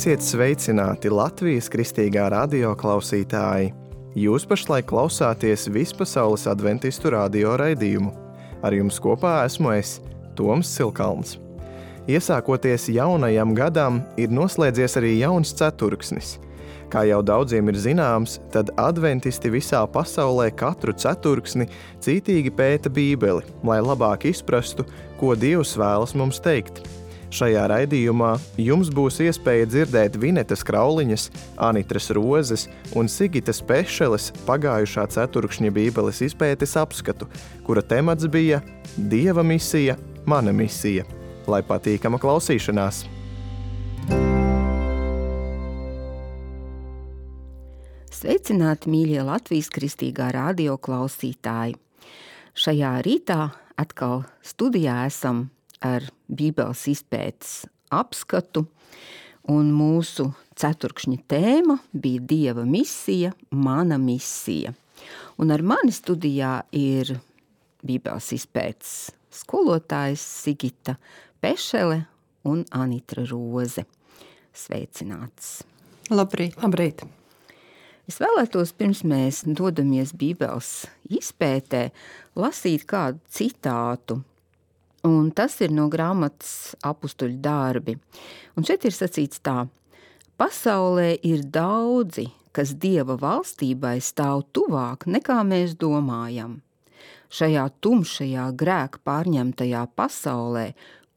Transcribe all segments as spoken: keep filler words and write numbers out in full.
Esiet sveicināti Latvijas Kristīgā radio klausītāji! Jūs pašlaik klausāties Vispasaules adventistu radio raidījumu. Ar jums kopā esmu es, Toms Silkalns. Iesākoties jaunajam gadam, ir noslēdzies arī jauns ceturksnis. Kā jau daudziem ir zināms, tad adventisti visā pasaulē katru ceturksni cītīgi pēta Bībeli, lai labāk izprastu, ko Dievs vēlas mums teikt. Šajā raidījumā jums būs iespēja dzirdēt Vinetas Krauliņas, Anitras Rozes un Sigitas Pešeles pagājušā ceturkšņa Bībeles izpētes apskatu, kura temats bija Dieva misija, mana misija. Lai patīkama klausīšanās! Sveicināti, mīļie Latvijas Kristīgā radio klausītāji! Šajā rītā atkal studijā esam ar Bībeles izpētes apskatu, un mūsu ceturkšņa tēma bija Dieva misija, mana misija. Un ar mani studijā ir Bībeles izpētes skolotājs Sigita Pešele un Anitra Roze. Sveicināts! Labrīt! Labrīt! Es vēlētos, pirms mēs dodamies Bībeles izpētē, lasīt kādu citātu, un tas ir no grāmatas Apustuļu darbi. Un šeit ir sacīts tā: pasaulē ir daudzi, kas Dieva valstībai stāv tuvāk, nekā mēs domājam. Šajā tumšajā grēka pārņemtajā pasaulē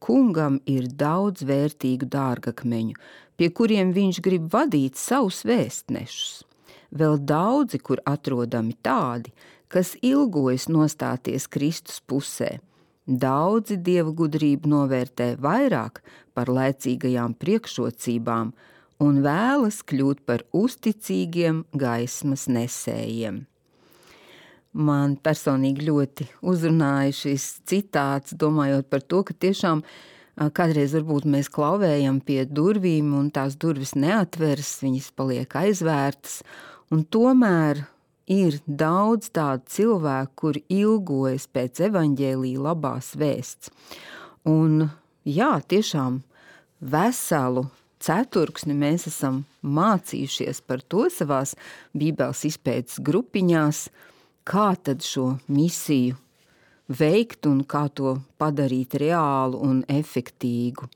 kungam ir daudz vērtīgu dārgakmeņu, pie kuriem viņš grib vadīt savus vēstnešus. Vēl daudzi, kur atrodami tādi, kas ilgojas nostāties Kristus pusē. Daudzi Dieva gudrību novērtē vairāk par laicīgajām priekšrocībām un vēlas kļūt par uzticīgiem gaismas nesējiem. Man personīgi ļoti uzrunāja šis citāts, domājot par to, ka tiešām kādreiz varbūt mēs klauvējam pie durvīm un tās durvis neatveras, viņas paliek aizvērtas, un tomēr ir daudz tādu cilvēku, kuri ilgojas pēc evaņģēlija labās vēsts. Un jā, tiešām veselu ceturksni mēs esam mācījušies par to savās Bībeles izpētes grupiņās, kā tad šo misiju veikt un kā to padarīt reālu un efektīgu.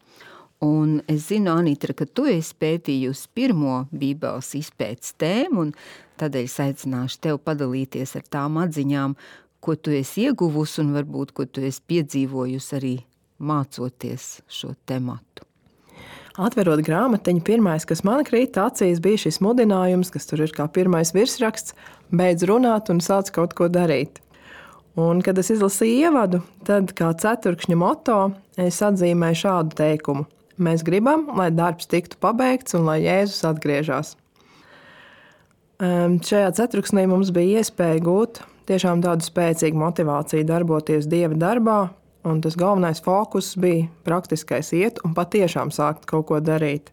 Un es zinu, Anitra, ka tu esi pētījusi pirmo Bībeles izpētes tēmu, un tādēļ es aicināšu tev padalīties ar tām atziņām, ko tu esi ieguvusi un varbūt, ko tu esi piedzīvojusi arī mācoties šo tematu. Atverot grāmatiņu, pirmais, kas man krīt acīs, bija šis mudinājums, kas tur ir kā pirmais virsraksts: beidz runāt un sāc kaut ko darīt. Un, kad es izlasīju ievadu, tad kā ceturkšņa moto es atzīmēju šādu teikumu: mēs gribam, lai darbs tiktu pabeigts un lai Jēzus atgriežas. Šajā ceturksnī mums bija iespēja gūt tiešām tādu spēcīgu motivāciju darboties Dieva darbā, un tas galvenais fokus bija praktiskais iet un patiešām sākt kaut ko darīt.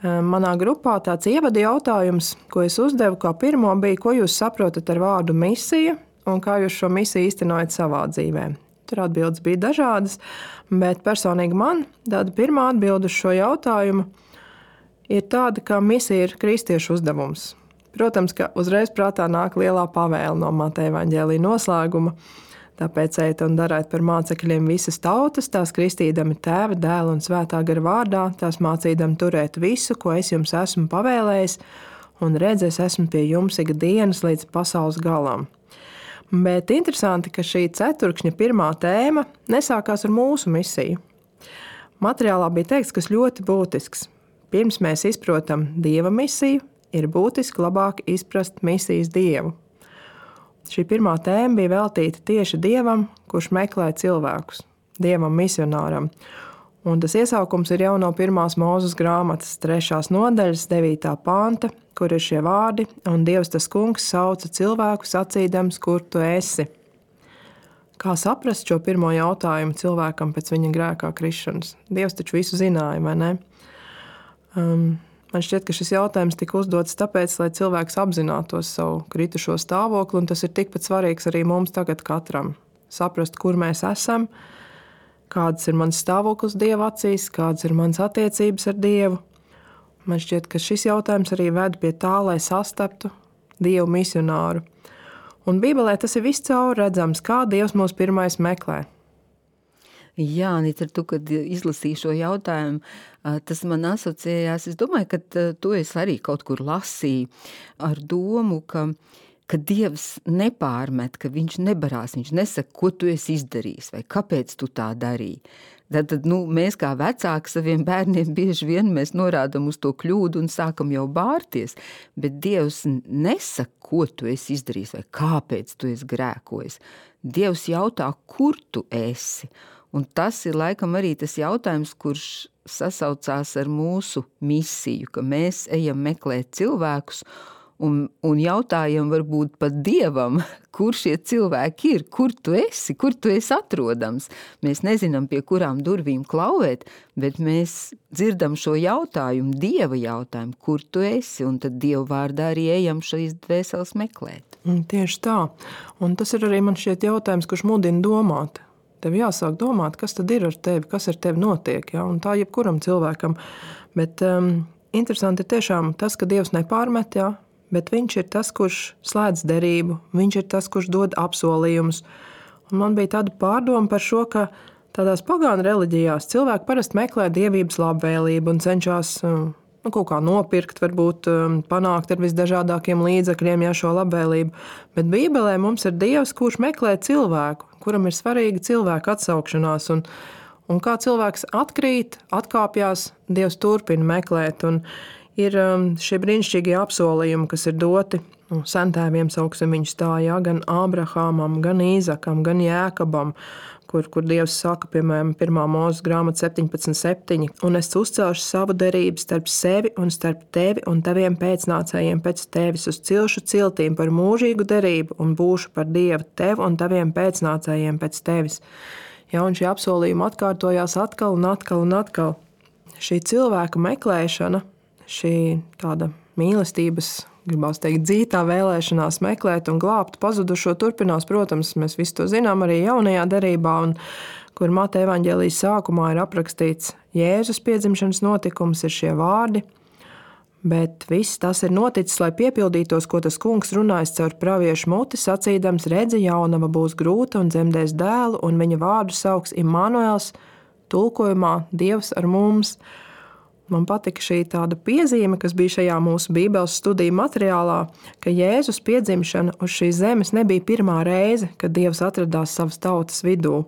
Manā grupā tāds ievada jautājums, ko es uzdevu kā pirmo, bija, ko jūs saprotat ar vārdu misija un kā jūs šo misiju īstenojat savā dzīvē. Tur atbildes bija dažādas, bet personīgi man tāda pirmā atbilde uz šo jautājumu ir tāda, ka misija ir kristiešu uzdevums. Protams, ka uzreiz prātā nāk lielā pavēle no Mateja evaņģēlija noslēguma. Tāpēc ejiet un dariet par mācekļiem visas tautas, tās kristīdami Tēva, Dēla un Svētā gara vārdā, tās mācīdami turēt visu, ko es jums esmu pavēlējis, un redz, es esmu pie jums ikdienas līdz pasaules galam. Bet interesanti, ka šī ceturkšņa pirmā tēma nesākās ar mūsu misiju. Materiālā bija teikts, kas ļoti būtisks. Pirms mēs izprotam Dieva misiju, ir būtiski labāk izprast misijas Dievu. Šī pirmā tēma bija veltīta tieši Dievam, kurš meklē cilvēkus, Dievam misionāram. Un tas iesaukums ir jau no pirmās Mūzes grāmatas trešās nodaļas devītā panta, kur ir šie vārdi: un Dievs tas kungs sauca cilvēku sacīdams, kur tu esi. Kā saprast šo pirmo jautājumu cilvēkam pēc viņa grēkā krišanas? Dievs taču visu zināja, vai ne? Um, man šķiet, ka šis jautājums tika uzdots tāpēc, lai cilvēks apzinātos savu kritušo stāvokli, un tas ir tikpat svarīgs arī mums tagad katram. Saprast, kur mēs esam, kāds ir mans stāvoklis Dieva acīs, kādas ir manas attiecības ar Dievu, Man šķiet, ka šis jautājums arī ved pie tā, lai sastaptu Dievu misionāru. Un Bībelē tas ir viscaur redzams, kā Dievs mūs pirmais meklē. Jā, Anita, tu, kad izlasīji šo jautājumu, tas man asociējās. Es domāju, ka tu esi arī kaut kur lasīji ar domu, ka, ka Dievs nepārmet, ka viņš nebarās, viņš nesaka, ko tu esi izdarījis vai kāpēc tu tā darīji. Tad, tad nu, mēs kā vecāki saviem bērniem bieži vien mēs norādam uz to kļūdu un sākam jau bārties, bet Dievs nesaka, ko tu esi izdarījis vai kāpēc tu esi grēkojis. Dievs jautā, kur tu esi. Un tas ir laikam arī tas jautājums, kurš sasaucās ar mūsu misiju, ka mēs ejam meklēt cilvēkus un, un jautājam varbūt pat Dievam, kur šie cilvēki ir, kur tu esi, kur tu esi atrodams. Mēs nezinām, pie kurām durvīm klauvēt, bet mēs dzirdam šo jautājumu, Dieva jautājumu, kur tu esi, un tad Dieva vārdā arī ejam šīs dvēseles meklēt. Un tieši tā. Un tas ir arī man šķiet jautājums, kurš mudina domāt. Tev jāsāk domāt, kas tad ir ar tevi, kas ar tevi notiek, ja? Un tā jebkuram cilvēkam. Bet um, interesanti ir tiešām tas, ka Dievs nepārmet, ja? Bet viņš ir tas, kurš slēdz derību, viņš ir tas, kurš dod apsolījumus. Un man bija tāda pārdoma par šo, ka tādās pagānu reliģijās cilvēki parasti meklē dievības labvēlību un cenšas nu, kaut kā nopirkt, varbūt panākt ar visdažādākiem līdzekļiem ja, šo labvēlību. Bet Bībelē mums ir Dievs, kurš meklē cilvēku, kuram ir svarīga cilvēka atsaukšanās. Un, un kā cilvēks atkrīt, atkāpjās, Dievs turpina meklēt. Un ir šie brīnišķīgie apsolījumi, kas ir doti nu, sentēviem, sauksim viņus tā, ja, gan Ābrahamam, gan Īzakam, gan Jēkabam, kur, kur Dievs saka, piemēram, pirmā Mūzes grāmata septiņpadsmit septiņi, un es uzcelšu savu derību starp sevi un starp tevi un taviem pēcnācējiem pēc tevis uz cilšu ciltīm par mūžīgu derību un būšu par Dievu tev un taviem pēcnācējiem pēc tevis. Ja, un šie apsolījumi atkārtojās atkal un atkal un atkal. Šī cilvēka meklēšana, šī tāda mīlestības, gribās teikt, dzītā vēlēšanās meklēt un glābt pazudušo turpinās, protams, mēs visu to zinām arī jaunajā derībā, un kur Mateja evaņģēlijas sākumā ir aprakstīts Jēzus piedzimšanas notikums, ir šie vārdi, bet viss tas ir noticis, lai piepildītos, ko tas kungs runājis caur praviešu muti, sacīdams, redzi, jaunava būs grūta un dzemdēs dēlu, un viņa vārdu sauks Immanuels, tulkojumā Dievs ar mums. Man patika šī tāda piezīme, kas bija šajā mūsu Bībeles studiju materiālā, ka Jēzus piedzimšana uz šīs zemes nebija pirmā reize, kad Dievs atradās savas tautas vidū.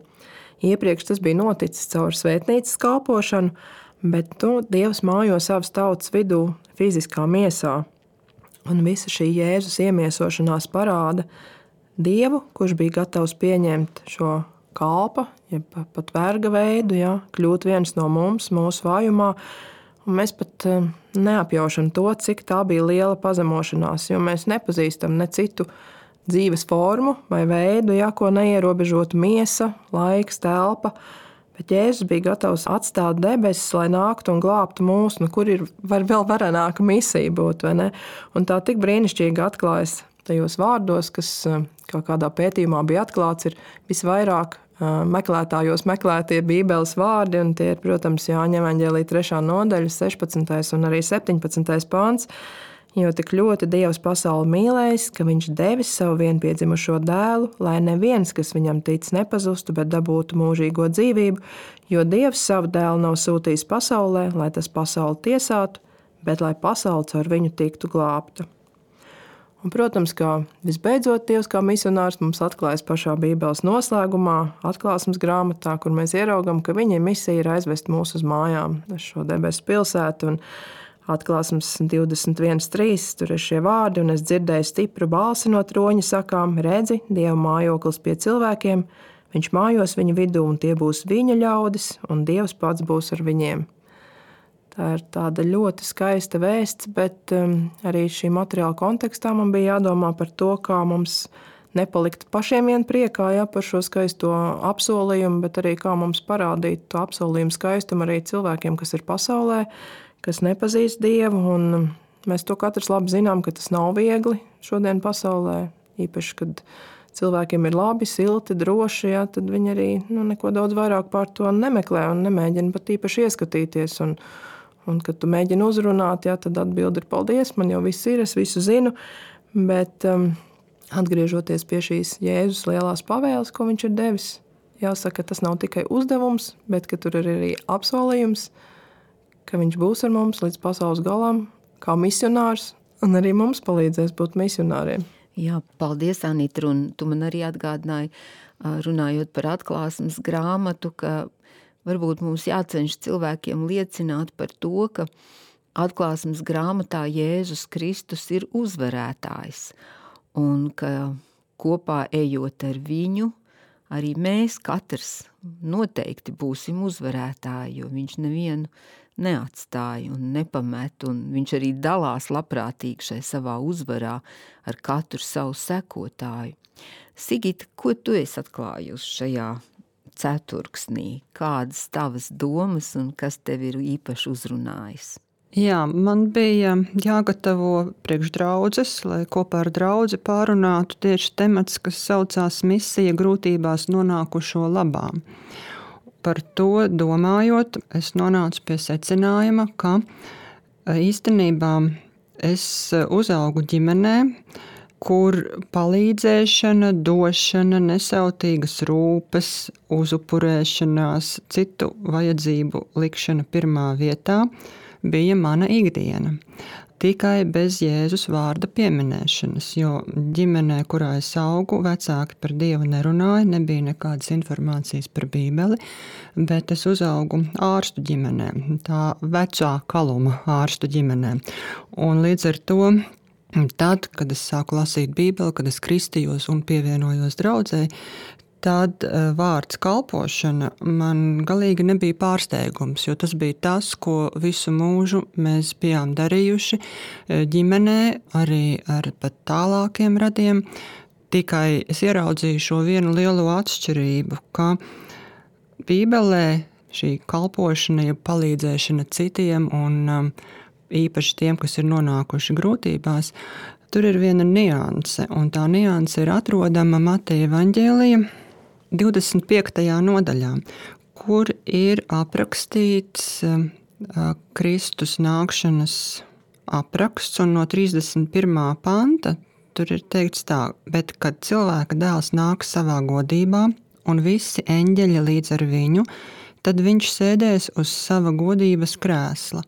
Iepriekš tas bija noticis caur svētnīcas kalpošanu, bet nu, Dievs mājo savas tautas vidū fiziskā miesā. Un visa šī Jēzus iemiesošanās parāda Dievu, kurš bija gatavs pieņemt šo kalpa, ja pat verga veidu, ja, kļūt viens no mums, mūsu vājumā. Un mēs pat neapjaušam to, cik tā bija liela pazemošanās, jo mēs nepazīstam ne citu dzīves formu vai veidu, ja, ko neierobežotu miesa, laiks, telpa. Bet Jēzus bija gatavs atstāt debesis, lai nāktu un glābtu mūs, nu, kur ir var, vēl varenāka misija būt, vai ne? Un tā tik brīnišķīgi atklājas tajos vārdos, kas kā kādā pētījumā bija atklāts, ir visvairāk meklētājos meklētie Bībeles vārdi, un tie ir, protams, Jāņa evaņģēlija trešā nodaļa, sešpadsmitais un arī septiņpadsmitais pāns, jo tik ļoti Dievs pasauli mīlējis, ka viņš devis savu vienpiedzimušo dēlu, lai neviens, kas viņam tic, nepazustu, bet dabūtu mūžīgo dzīvību, jo Dievs savu dēlu nav sūtījis pasaulē, lai tas pasauli tiesātu, bet lai pasauli caur viņu tiktu glābta. Un, protams, kā visbeidzot Dievs kā misionārs mums atklājas pašā Bībeles noslēgumā, atklāsmes grāmatā, kur mēs ieraugam, ka viņa misija ir aizvest mūs uz mājām, uz šo debesu pilsētu. Un atklāsmes divdesmit viens trīs, tur ir šie vārdi, un es dzirdēju stipru balsi no troņa sakām, redzi, Dieva mājoklis pie cilvēkiem, viņš mājos viņu vidū, un tie būs viņa ļaudis, un Dievs pats būs ar viņiem. Tā ir tāda ļoti skaista vēsts, bet um, arī šī materiāla kontekstā man bija jādomā par to, kā mums nepalikt pašiem vien priekā ja, par šo skaisto apsolījumu, bet arī kā mums parādīt to apsolījumu skaistumu arī cilvēkiem, kas ir pasaulē, kas nepazīst Dievu. Un mēs to katrs labi zinām, ka tas nav viegli šodien pasaulē, īpaši, kad cilvēkiem ir labi, silti, droši, ja, tad viņi arī nu, neko daudz vairāk pār to nemeklē un nemēģina pat īpaši ieskatīties. Un, Un, kad tu mēģini uzrunāt, jā, tad atbildi ir paldies, man jau viss ir, es visu zinu. Bet um, atgriežoties pie šīs Jēzus lielās pavēles, ko viņš ir devis, jāsaka, tas nav tikai uzdevums, bet ka tur ir arī apsolījums, ka viņš būs ar mums līdz pasaules galam, kā misionārs, un arī mums palīdzēs būt misionāriem. Jā, paldies, Anita, un tu man arī atgādināji, runājot par atklāsmes grāmatu, ka varbūt mums jācenš cilvēkiem liecināt par to, ka atklāsmes grāmatā Jēzus Kristus ir uzvarētājs un ka kopā ejot ar viņu, arī mēs katrs noteikti būsim uzvarētāji, jo viņš nevienu neatstāja un nepamet, un viņš arī dalās labprātīgi šai savā uzvarā ar katru savu sekotāju. Sigita, ko tu esi atklājusi šajā ceturksnī? Kādas tavas domas un kas tev ir īpaši uzrunājis? Jā, man bija jāgatavo priekš draudzes, lai kopā ar draudzi pārunātu tieši temats, kas saucās misija grūtībās nonākušo labā. Par to domājot, es nonācu pie secinājuma, ka īstenībā es uzaugu ģimenē, kur palīdzēšana, došana, nesautīgas rūpes, uzupurēšanās, citu vajadzību likšana pirmā vietā bija mana ikdiena. Tikai bez Jēzus vārda pieminēšanas, jo ģimenē, kurā es augu, vecāki par Dievu nerunāja, nebija nekādas informācijas par Bībeli, bet es uzaugu ārstu ģimenē, tā vecā kaluma ārstu ģimenē. Un līdz ar to tad, kad es sāku lasīt Bībeli, kad es kristījos un pievienojos draudzei, tad vārds kalpošana man galīgi nebija pārsteigums, jo tas bija tas, ko visu mūžu mēs bijām darījuši ģimenē, arī ar pat tālākiem radiem. Tikai es ieraudzīju šo vienu lielo atšķirību, ka Bībelē šī kalpošana, ja palīdzēšana citiem un īpaši tiem, kas ir nonākuši grūtībās, tur ir viena nianse, un tā nianse ir atrodama Mateja evaņģēlija divdesmit piektajā nodaļā, kur ir aprakstīts Kristus nākšanas apraksts, un no trīsdesmit pirmā panta tur ir teikts tā, bet kad cilvēka dēls nāks savā godībā un visi eņģeļi līdz ar viņu, tad viņš sēdēs uz sava godības krēsla,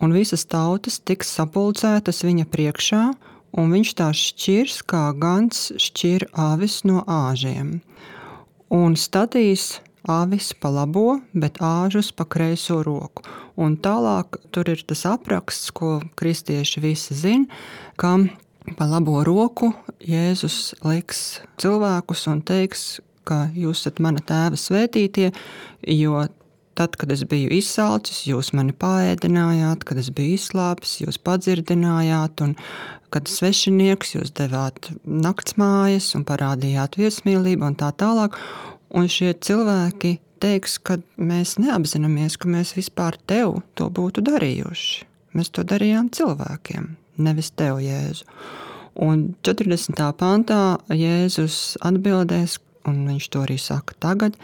un visas tautas tiks sapulcētas viņa priekšā, un viņš tās šķirs, kā gans šķir avis no āžiem. Un statīs avis pa labo, bet āžus pa kreiso roku. Un tālāk tur ir tas apraksts, ko kristieši visi zina, ka pa labo roku Jēzus liks cilvēkus un teiks, ka jūs esat mana tēva svētītie, jo tad, kad es biju izsalcis, jūs mani paēdinājāt, kad es biju izslāpis, jūs padzirdinājāt, un kad svešinieks jūs devāt naktsmājas un parādījāt viesmīlību un tā tālāk. Un šie cilvēki teiks, ka mēs neapzināmies, ka mēs vispār tev to būtu darījuši. Mēs to darījām cilvēkiem, nevis tev, Jēzu. Un četrdesmitā pantā Jēzus atbildēs, un viņš to arī saka tagad,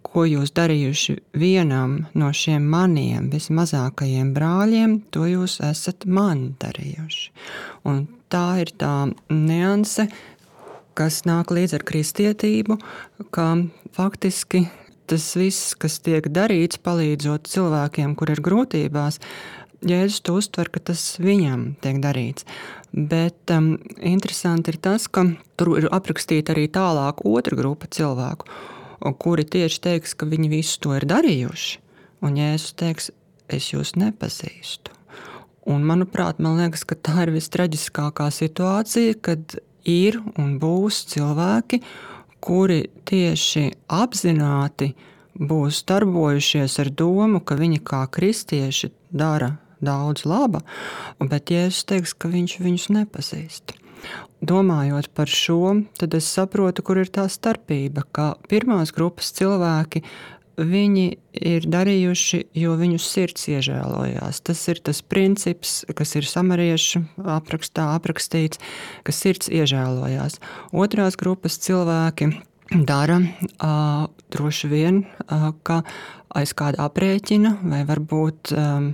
ko jūs darījuši vienam no šiem maniem vismazākajiem brāļiem, to jūs esat man darījuši. Un tā ir tā nianse, kas nāk līdz ar kristietību, ka faktiski tas viss, kas tiek darīts, palīdzot cilvēkiem, kur ir grūtībās, Jēzus to uztver, ka tas viņam tiek darīts. Bet um, interesanti ir tas, ka tur ir aprakstīta arī tālāk otra grupa cilvēku, kuri tieši teiks, ka viņi visu to ir darījuši, un Jēzus teiks, es jūs nepazīstu. Un, manuprāt, man liekas, ka tā ir vistraģiskākā situācija, kad ir un būs cilvēki, kuri tieši apzināti būs darbojušies ar domu, ka viņi kā kristieši dara daudz laba, bet Jēzus teiks, ka viņš viņus nepazīst. Domājot par šo, tad es saprotu, kur ir tā starpība, ka pirmās grupas cilvēki, viņi ir darījuši, jo viņu sirds iežēlojās. Tas ir tas princips, kas ir samariešu aprakstā aprakstīts, ka sirds iežēlojās. Otrās grupas cilvēki dara uh, droši vien, uh, ka aiz kāda aprēķina vai varbūt um,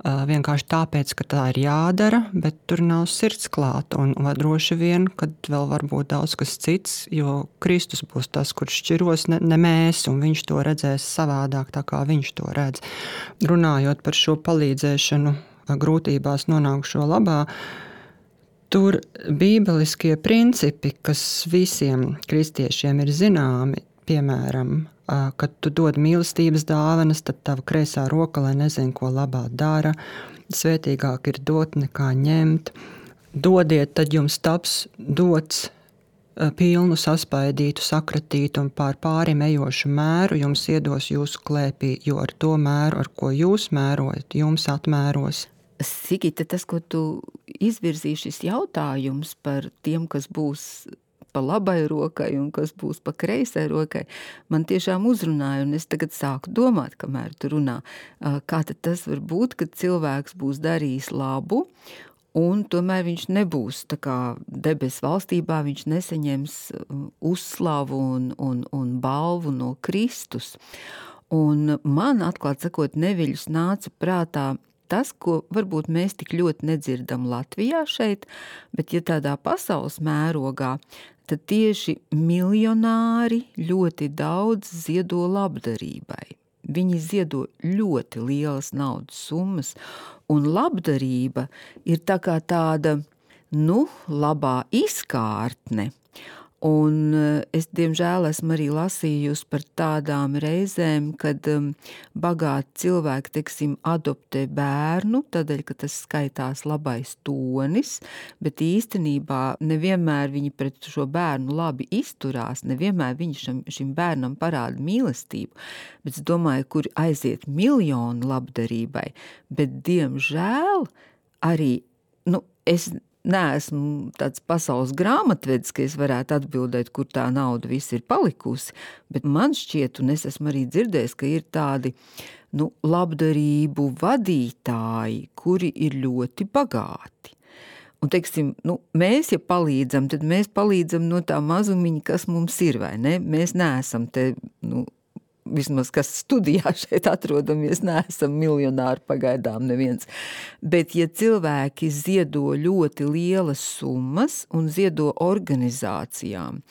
vienkārši tāpēc, ka tā ir jādara, bet tur nav sirds klāta. Un, vai droši vien, kad vēl var būt daudz kas cits, jo Kristus būs tas, kurš šķiros, ne, ne mēs, un viņš to redzēs savādāk, tā kā viņš to redz. Runājot par šo palīdzēšanu grūtībās nonākušo labā, tur bībeliskie principi, kas visiem kristiešiem ir zināmi, piemēram, kad tu dod mīlestības dāvanas, tad tava kreisā roka, lai nezinu, ko labā dara. Svētīgāk ir dot nekā ņemt. Dodiet, tad jums taps dots pilnu, saspaidītu, sakratītu un pār pārim ejošu mēru jums iedos jūsu klēpī, jo ar to mēru, ar ko jūs mērojat, jums atmēros. Sigita, tas, ko tu izvirzīji šis jautājums par tiem, kas būs pa labai rokai un kas būs pa kreisai rokai, man tiešām uzrunāja, un es tagad sāku domāt, kamēr tu runā, kā tad tas var būt, kad cilvēks būs darījis labu, un tomēr viņš nebūs tā kā debes valstībā, viņš nesaņems uzslavu un, un, un balvu no Kristus. Un man, atklāt sakot, neviļus nāca prātā tas, ko varbūt mēs tik ļoti nedzirdam Latvijā šeit, bet ja tādā pasaules mērogā, tad tieši miljonāri ļoti daudz ziedo labdarībai. Viņi ziedo ļoti lielas naudas summas, un labdarība ir tā kā tāda, nu, labā izkārtne. Un es, diemžēl, esmu arī lasījusi par tādām reizēm, kad um, bagāti cilvēki, teiksim, adoptē bērnu, tādēļ, ka tas skaitās labais tonis, bet īstenībā nevienmēr viņi pret šo bērnu labi izturās, nevienmēr viņi šim, šim bērnam parāda mīlestību, bet es domāju, kur aiziet miljonu labdarībai, bet, diemžēl, arī, nu, es neesmu tāds pasaules grāmatvedis, ka es varētu atbildēt, kur tā nauda viss ir palikusi, bet man šķiet, un es esmu arī dzirdējis, ka ir tādi, nu, labdarību vadītāji, kuri ir ļoti bagāti. Un, teiksim, nu, mēs, ja palīdzam, tad mēs palīdzam no tā mazumiņa, kas mums ir, vai ne? Mēs neesam te, nu, vismaz, kas studijā šeit atrodamies, neesam miljonāri pagaidām neviens. Bet, ja cilvēki ziedo ļoti lielas summas un ziedo organizācijām,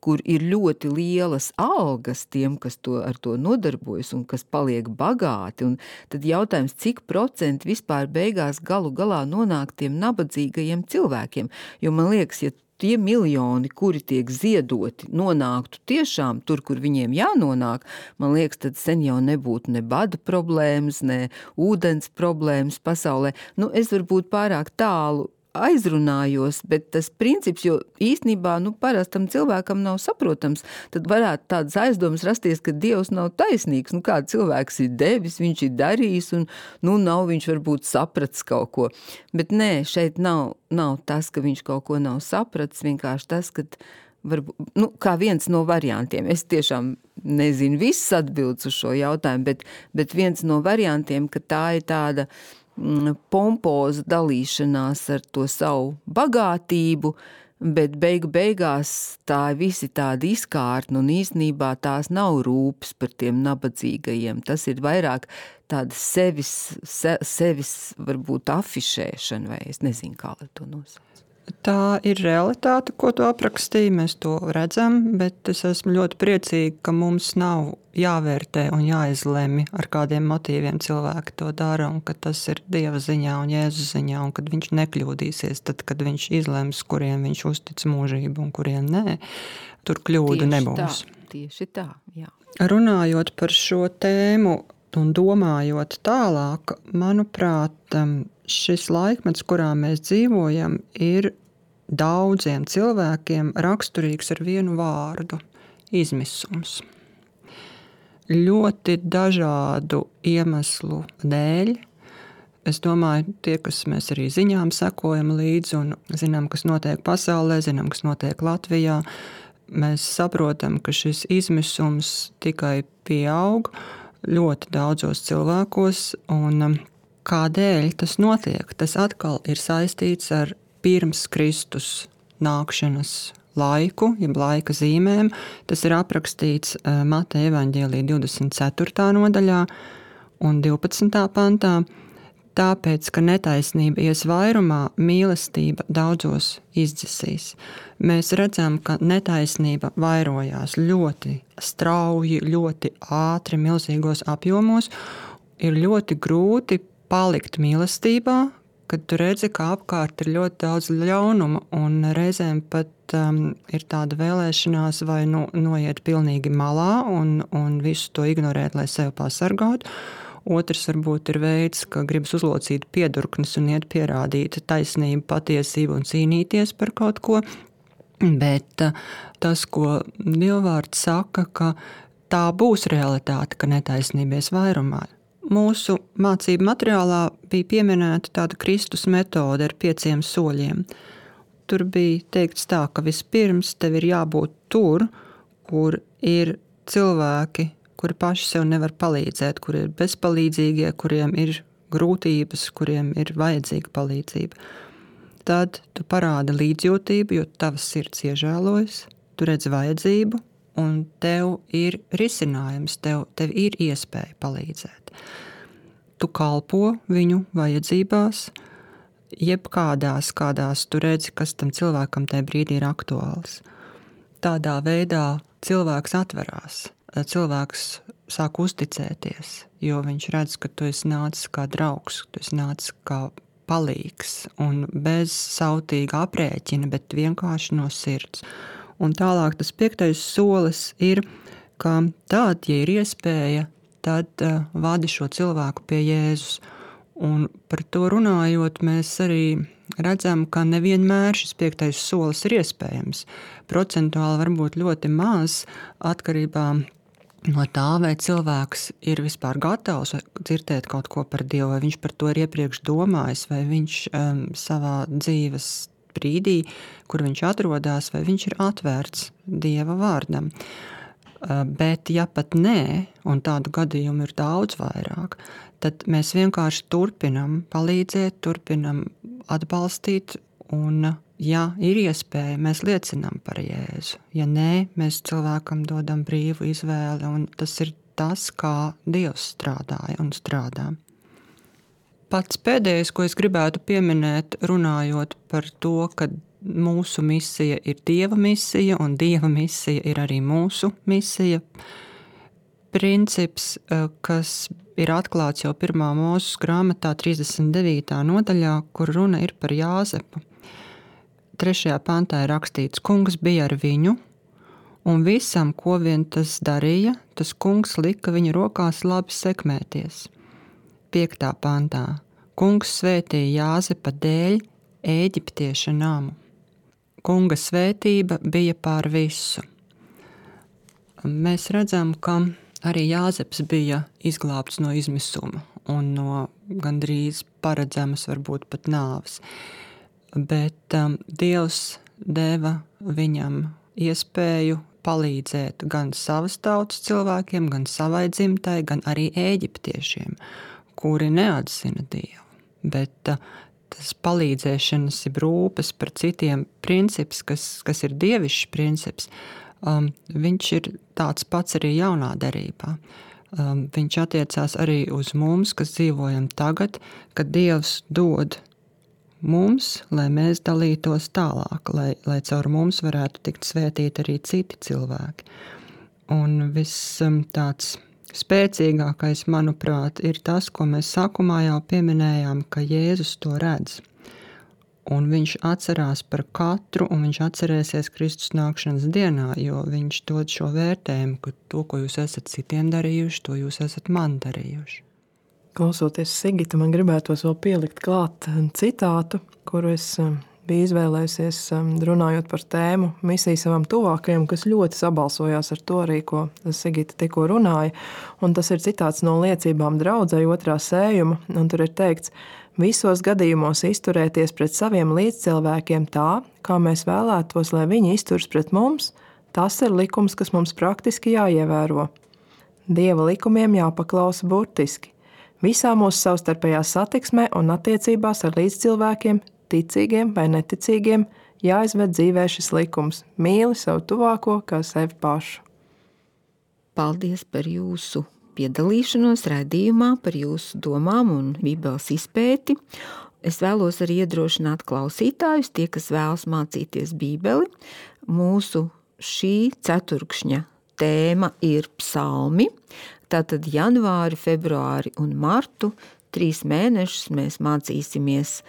kur ir ļoti lielas algas tiem, kas to, ar to nodarbojas un kas paliek bagāti, un tad jautājums, cik procenti vispār beigās galu galā nonāk tiem nabadzīgajiem cilvēkiem, jo man liekas, ja tie miljoni, kuri tiek ziedoti, nonāktu tiešām tur, kur viņiem jānonāk, man liekas, tad sen jau nebūtu ne bada problēmas, ne ūdens problēmas pasaulē. Nu, es varbūt pārāk tālu aizrunājos, bet tas princips, jo īstenībā, nu, parastam cilvēkam nav saprotams, tad varētu tādas aizdomas rasties, ka Dievs nav taisnīgs, nu, kāda cilvēks ir devis, viņš ir darījis, un, nu, nav viņš varbūt sapratis kaut ko. Bet nē, šeit nav, nav tas, ka viņš kaut ko nav sapratis, vienkārši tas, ka varbūt, nu, kā viens no variantiem. Es tiešām nezinu visas atbildes uz šo jautājumu, bet, bet viens no variantiem, ka tā ir tāda pompoza dalīšanās ar to savu bagātību, bet beigu beigās tā visi tādi izkārtni un īstenībā tās nav rūpes par tiem nabadzīgajiem. Tas ir vairāk tāda sevis, se, sevis varbūt afišēšana, vai es nezinu, kā lai to nosauc. Tā ir realitāte, ko tu aprakstīji, mēs to redzam, bet es esmu ļoti priecīga, ka mums nav jāvērtē un jāizlemj, ar kādiem motīviem cilvēki to dara, un ka tas ir Dieva ziņā un Jēzus ziņā, un kad viņš nekļūdīsies, tad, kad viņš izlems, kuriem viņš uztic mūžību un kuriem nē, tur kļūda tieši nebūs. Tā, tieši tā, jā. Runājot par šo tēmu un domājot tālāk, manuprāt, šis laikmets, kurā mēs dzīvojam, ir daudziem cilvēkiem raksturīgs ar vienu vārdu – izmisums. Ļoti dažādu iemeslu dēļ. Es domāju, tie, kas mēs arī ziņām sekojam līdzi un zinām, kas notiek pasaulē, zinām, kas notiek Latvijā, mēs saprotam, ka šis izmisums tikai pieaug ļoti daudzos cilvēkos, un kādēļ tas notiek? Tas atkal ir saistīts ar pirms Kristus nākšanas laiku, jeb laika zīmēm. Tas ir aprakstīts Mateja evaņģēlija divdesmit ceturtā nodaļā un divpadsmitā pantā. tāpēc, ka netaisnība ies vairumā, mīlestība daudzos izdzisīs. Mēs redzam, ka netaisnība vairojās ļoti strauji, ļoti ātri, milzīgos apjomos. Ir ļoti grūti palikt mīlestībā, kad tu redzi, ka apkārt ir ļoti daudz ļaunuma, un reizēm pat um, ir tāda vēlēšanās vai nu, noiet pilnīgi malā un, un visu to ignorēt, lai sevi pasargātu. Otrs varbūt ir veids, ka gribas uzlocīt piedurknes un iet pierādīt taisnību, patiesību un cīnīties par kaut ko. Bet tas, ko Dievvvārds saka, ka tā būs realitāte, ka netaisnībies vairumā. Mūsu mācību materiālā bija pieminēta tāda Kristus metode ar pieciem soļiem. Tur bija teikts tā, ka vispirms tev ir jābūt tur, kur ir cilvēki, kuri paši sev nevar palīdzēt, kuri ir bezpalīdzīgie, kuriem ir grūtības, kuriem ir vajadzīga palīdzība. Tad tu parādi līdzjūtību, jo tavas sirds iežēlojas, tu redz vajadzību, un tev ir risinājums, tev, tev ir iespēja palīdzēt. Tu kalpo viņu vajadzībās, jebkādās, kādās tu redzi, kas tam cilvēkam tajā brīdī ir aktuāls. Tādā veidā cilvēks atverās. Cilvēks sāk uzticēties, jo viņš redz, ka tu esi nācis kā draugs, tu esi nācis kā palīgs un bez sautīga aprēķina, bet vienkārši no sirds. Un tālāk tas piektais solis ir, ka tad, ja ir iespēja, tad uh, vadi šo cilvēku pie Jēzus. Un par to runājot, mēs arī redzam, ka nevienmēr šis piektais solis ir iespējams. Procentuāli varbūt ļoti maz atkarībā no tā, vai cilvēks ir vispār gatavs dzirdēt kaut ko par Dievu, vai viņš par to ir iepriekš domājis, vai viņš um, savā dzīves brīdī, kur viņš atrodas, vai viņš ir atvērts Dieva vārdam. Uh, bet ja pat nē, un tādu gadījumu ir daudz vairāk, tad mēs vienkārši turpinam palīdzēt, turpinam atbalstīt, un ja ir iespēja, mēs liecinām par Jēzu. Ja nē, mēs cilvēkam dodam brīvu izvēli, un tas ir tas, kā Dievs strādāja un strādā. Pats pēdējais, ko es gribētu pieminēt, runājot par to, ka mūsu misija ir Dieva misija, un Dieva misija ir arī mūsu misija. Princips, kas ir atklāts jau pirmā Mūzes grāmatā trīsdesmit devītā nodaļā, kur runa ir par Jāzepu. Trešajā pantā ir rakstīts, kungs bija ar viņu, un visam, ko vien tas darīja, tas kungs lika viņa rokās labi sekmēties. Piektā pantā, kungs svētīja Jāzepa dēļ Ēģiptieša namu. Kunga svētība bija pār visu. Mēs redzam, ka arī Jāzeps bija izglābts no izmisuma un no gandrīz paredzamas, varbūt pat nāves. Bet um, Dievs deva viņam iespēju palīdzēt gan savas tautas cilvēkiem, gan savai dzimtai, gan arī ēģiptiešiem, kuri neatzina Dievu. Bet uh, tas palīdzēšanas ir rūpes par citiem princips, kas, kas ir dievišķs princips, um, viņš ir tāds pats arī jaunā derībā. Um, viņš attiecās arī uz mums, kas dzīvojam tagad, kad Dievs dod mums, lai mēs dalītos tālāk, lai, lai caur mums varētu tikt svētīti arī citi cilvēki. Un viss tāds spēcīgākais, manuprāt, ir tas, ko mēs sākumā jau pieminējām, ka Jēzus to redz. Un viņš atcerās par katru, un viņš atcerēsies Kristus nākšanas dienā, jo viņš dod šo vērtējumu, ka to, ko jūs esat citiem darījuši, to jūs esat man darījuši. Klausoties Sigita, man gribētos vēl pielikt klāt citātu, kuru es biju izvēlējusies runājot par tēmu misiju savam tuvākajam, kas ļoti sabalsojās ar to arī, ko Sigita tikko runāja. Un tas ir citāts no liecībām draudzei otrā sējuma, un tur ir teikts, visos gadījumos izturēties pret saviem līdzcilvēkiem tā, kā mēs vēlētos, lai viņi izturas pret mums, tas ir likums, kas mums praktiski jāievēro. Dieva likumiem jāpaklausa burtiski. Visā mūsu savstarpējā satiksmē un attiecībās ar līdzcilvēkiem, ticīgiem vai neticīgiem, jāizved dzīvē šis likums. Mīli savu tuvāko kā sevi pašu. Paldies par jūsu piedalīšanos raidījumā par jūsu domām un Bībeles izpēti. Es vēlos arī iedrošināt klausītājus, tie, kas vēlas mācīties Bībeli. Mūsu šī ceturkšņa tēma ir psalmi. Tātad janvāri, februāri un martu, trīs mēnešus mēs mācīsimies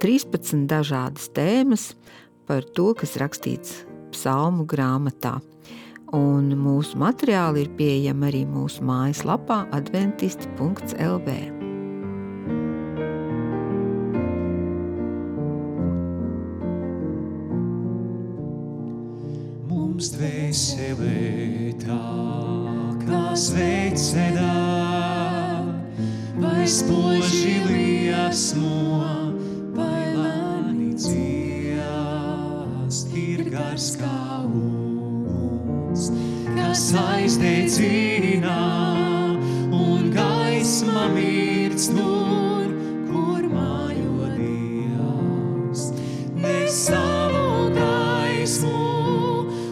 trīspadsmit dažādas tēmas par to, kas rakstīts psalmu grāmatā. Un mūsu materiāli ir pieejami arī mūsu mājaslapā adventisti punkts el vē. Mums dvēselē tā, kā sveicenā, vai spoži liesmo, vai lēni dziest, ir gars kā kas aizdedzina, un gaisma mirst tur, kur mājo Dievs. Nes savu gaismu,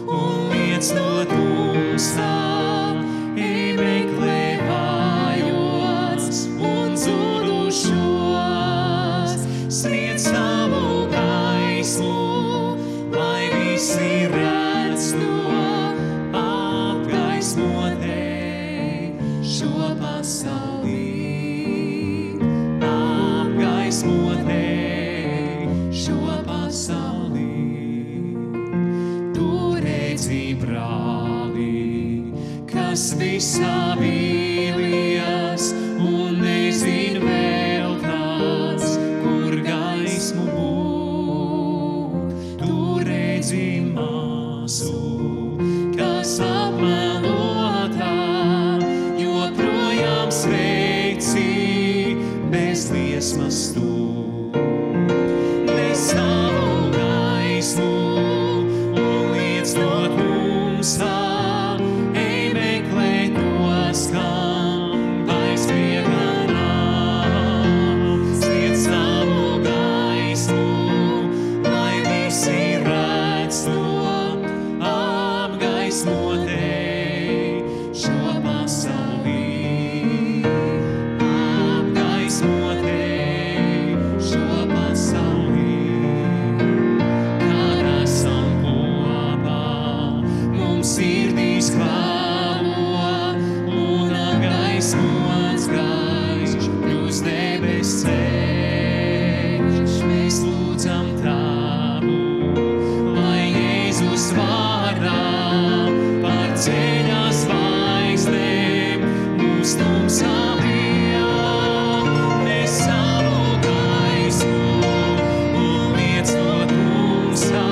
un liec no tumsā, ej meklē vājos un zudušos. Sniedz savu gaismu, lai visi redz to, šo pasaulī, apgaismotē šo pasaulī. Tu redzi brāli, kas visā vīlies, un nezin vēl kāds, kur gaismu būt. Tu redzi māsu, kas apmelotā, sveici bez liesmas tu. Nes savu gaismu, un liec no tumsā, ej meklē tos, kam vairs miega nav. Sniedz savu gaismu, lai visi redz to, apgaismotē šo pasaulī. Sirdīs klāvo, un apgaismots gaišs, kļūs debes ceļš. Mēs lūdzam Tavu, lai Jēzus vārdā par ceļa zvaigznēm mūs tumsā bijā. Nes savu gaismu, un liec no tumsā,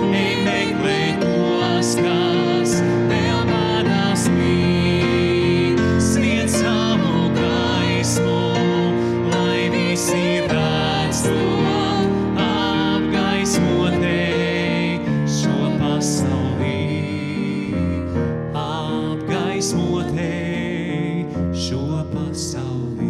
ej meklē tos, kas vēl vadās mīt. Sniedz savu gaismu, lai visi redz to, apgaismotē šo pasaulī. Apgaismotē šo pasaulī.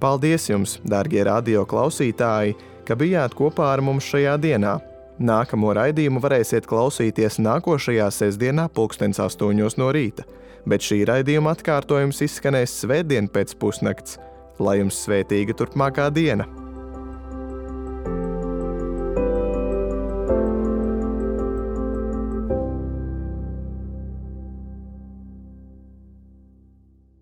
Paldies jums, dārgie radio klausītāji, ka bijāt kopā ar mums šajā dienā. Nākamo raidījumu varēsiet klausīties nākošajā sestdienā pulkstens astoņos no rīta, bet šī raidījuma atkārtojums izskanēs svētdien pēc pusnakts. Lai jums svētīga turpmākā diena!